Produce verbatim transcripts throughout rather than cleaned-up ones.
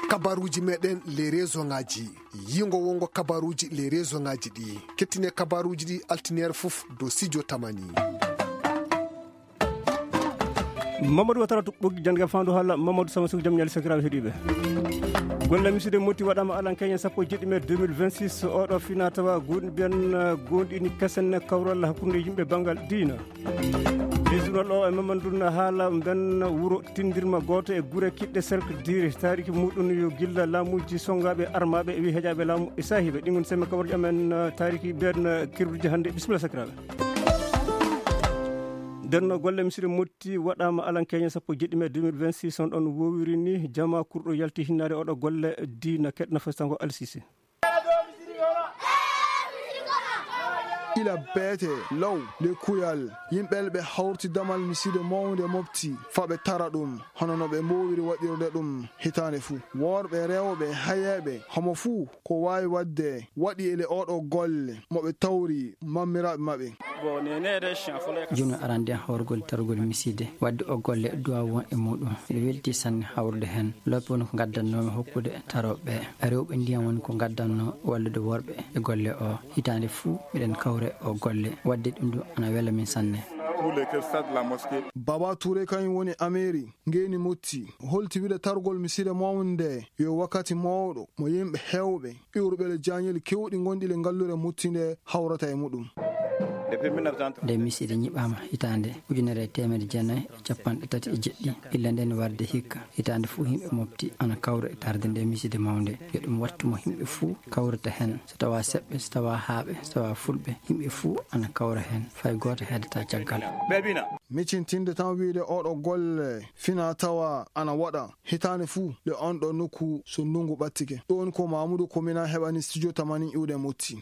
Kabaruuji meɗen les réseau ngaji. Yingo wongo kabaruuji les réseau ngaji ɗi. Kettine kabaruuji ɗi altineer fof do studio Tamani. Mamadou Watara to ɓoggi jannde fandu haala Mamadou Sama Sow jam ñaali sakiraaɓe heɗiiɓe. Golle misiide motti waɗaama alan keñen sappo e jeɗɗi mai deux mille vingt-six, oɗo fina tawa guɗi ɓen, eh, gonɗini kesen kawral hakkunde yimɓe banngal diina. Lesdunal o e Mamadou na haala mben wuro tindirma gooto e gure kiɗɗe cercle diri taariki muɗum yo gilla laamuji songaaɓe armaaɓe e wi heƴaaɓe laamu e saahiiɓe. Ɗin woni semme kawarji amen, eh, taariki ɓen, eh, kirduji hannde. Bisimilla sakiraaɓe. Nden no golle misiide motti waɗaama alan keñe sappo e jeɗɗi mai deux mille vingt-six, on ɗon wowiri ni jama kurɗo yalti hinnaade oɗo golle diina keɗna festango Alsise. Ila beete law le kuyal yimɓe ɓe hawti damal misiide mawnde mofti fa ɓe tara ɗum hono no ɓe mbowiri waɗirde ɗum hitaande fuu. Worɓe, rewɓe, hayeeɓe, homo fuu ko waawi waɗde waɗi ele oɗo golle mo ɓe tawri mammiraaɓe maɓɓe. Jooni arande hawrugol tarugol misiide waɗde o golle duwaaw won e muɗum. Miɗo welti sanne hawrude heen. Loope woni ko ngaddannoomi hokkude tarooɓe ɓe. Rewɓe ndiyam woni ko ngaddannoo wallude worɓe e golle o. Hitaande fuu miɗen kawre o golle. Waɗde ɗum ɗum ana wela min sanne. Baba Touré kañum woni Ameeri, ngeyni Motti. Holti wile targol misiide mawnde nde yo wakkati mawɗo mo yimɓe heewɓe iwruɓe le jaañeli kewɗi gonɗi le ngallure Motti nde hawrata e muɗum. Nde misiide ñiɓaama hitaande ujunere e teemedde jeenayi e capanɗe tati e jeɗɗi, illa nden warde hikka, hitaande fuu yimɓe mofti ana kawra e tarde nde misiide mawnde. Yo ɗum wattu mo yimɓe fuu kawrata heen, so tawaa seɓɓe, so tawaa haaɓe, so tawaa fulɓe, yimɓe fuu ana kawra heen, fay gooto heedata caggal. Micintinde tan wiyde oɗo golle fina tawa ana waɗa hitaande fuu le on ɗo nokku so ndungu ɓattike. Ɗo woni ko Mamoudou Komina heɓani studio Tamani iwde Motti.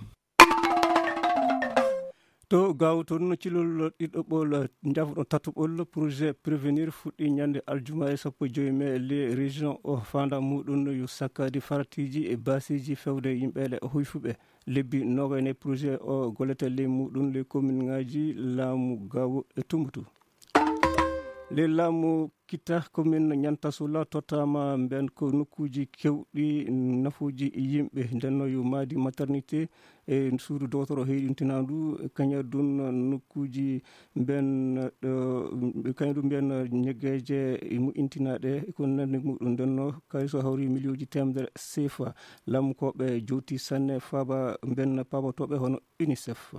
To Gaawo toon, cilol ɗiɗaɓol, njaafo ɗon tataɓol, projet Prévenir fuɗɗi ñande aljuma e sappo e joy mai. Les régions o faanda muɗum yo sakkadi faratiiji e baasiiji fewde yimɓe le hoyfuɓe. Lebbi noogay nayi projet o gollete ley muɗum, ley commune ngaji laamu Gaawo e Tumbutu. Ley laamu Kita, commune Niantassoula tottama mben ko nokkuuji kewɗi nafuuji yimɓe. Nden no yo maadi maternité e suudu dowtoro heyɗintinandu, kaña dun nokkuuji mben, ɗo, kaña dun mben ñeggeeje moƴƴintinaɗe e ko nandi muɗum. Nden no kayso hawri miliyonji teemedere sefa. Laamu ko ɓe jowti sanne faaba mben paabotooɓe hono UNICEF.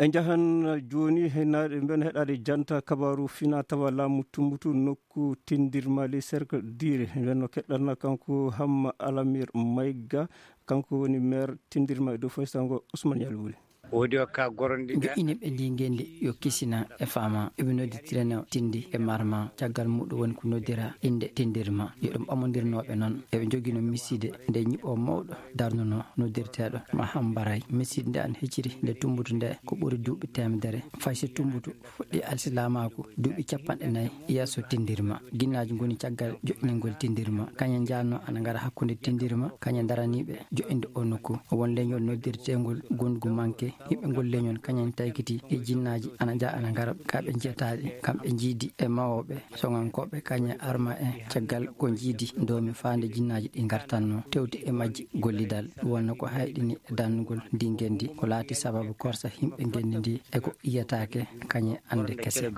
En njahan jooni hennaaɗe mben heɗaade janta kabaaru fina tawa laamu Tumbutu nokku tindirma le cercle dire. Mben no keɗɗanna kanko Hamma Alamir Mayga, kanko woni maire tindirma e dow faysango Ousmane Yalwuri. Woodi o ka goronɗi ɓe. Joƴƴini ɓe ndi ngenndi yo kisina e faama. Eɓe nodditirano tindi e marma. Caggal muɗum woni ko noddira innde tindirma. Yo ɗum ɓamondirnooɓe noon. Eɓe njogino misiide nde ñiɓo mawɗo darnuno noddirteeɗo Mahambaray. Misiide nde an hecciri nde Tumbutu nde ko ɓuri duuɓi teemedere. Fay so Tumbutu fuɗɗi alsilaamaaku duuɓi capanɗe nayi yeeso tindirma. Ginnaaji ngoni caggal joƴƴiningol tindirma. Kañe njaanno ana ngara hakkunde tindirma, kañe daraniiɓe joƴƴinde o nokku. Won leñol noddirteengol Gondugu Manke. Yimɓe ngol leñol kañen taykiti e jinnaaji ana njaa ana ngara ka ɓe njiyataaɗi. Kamɓe njiidi e mawooɓe soŋankooɓe kañe arma en caggal ko njiidi doomi faande jinnaaji ɗi ngartanno tewti e majji gollidal. Ɗum wonno ko hayɗini dannugol ndi ngenndi ko laati sababu korsa yimɓe ngenndi ndi e ko yiyataake kañe annde kese.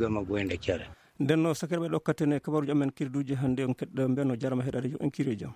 Nden no sakiraaɓe ɗokkatene kabaruuji amen kirduuji hannde on keɗɗo mben no jarama heɗaade yo en kiire jam.